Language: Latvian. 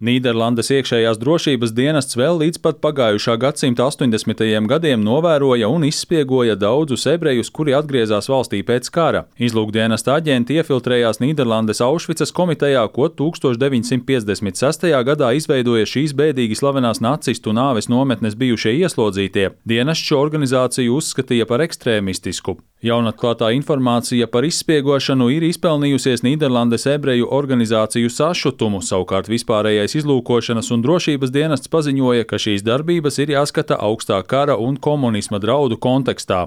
Nīderlandes iekšējās drošības dienests vēl līdz pat pagājušā gadsimta 80. gadiem novēroja un izspiegoja daudzus ebrejus, kuri atgriezās valstī pēc kara. Izlūkdienesta aģenti iefiltrējās Nīderlandes Aušvicas komitejā, ko 1956. gadā izveidoja šīs bēdīgi slavenās nacistu nāves nometnes bijušie ieslodzītie. Dienests šo organizāciju uzskatīja par ekstrēmistisku. Jaunatklātā informācija par izspiegošanu ir izpelnījusies Nīderlandes ebreju organizāciju sašutumu, savukārt vispārējais izlūkošanas un drošības dienests paziņoja, ka šīs darbības ir jāskata augstā kara un komunisma draudu kontekstā.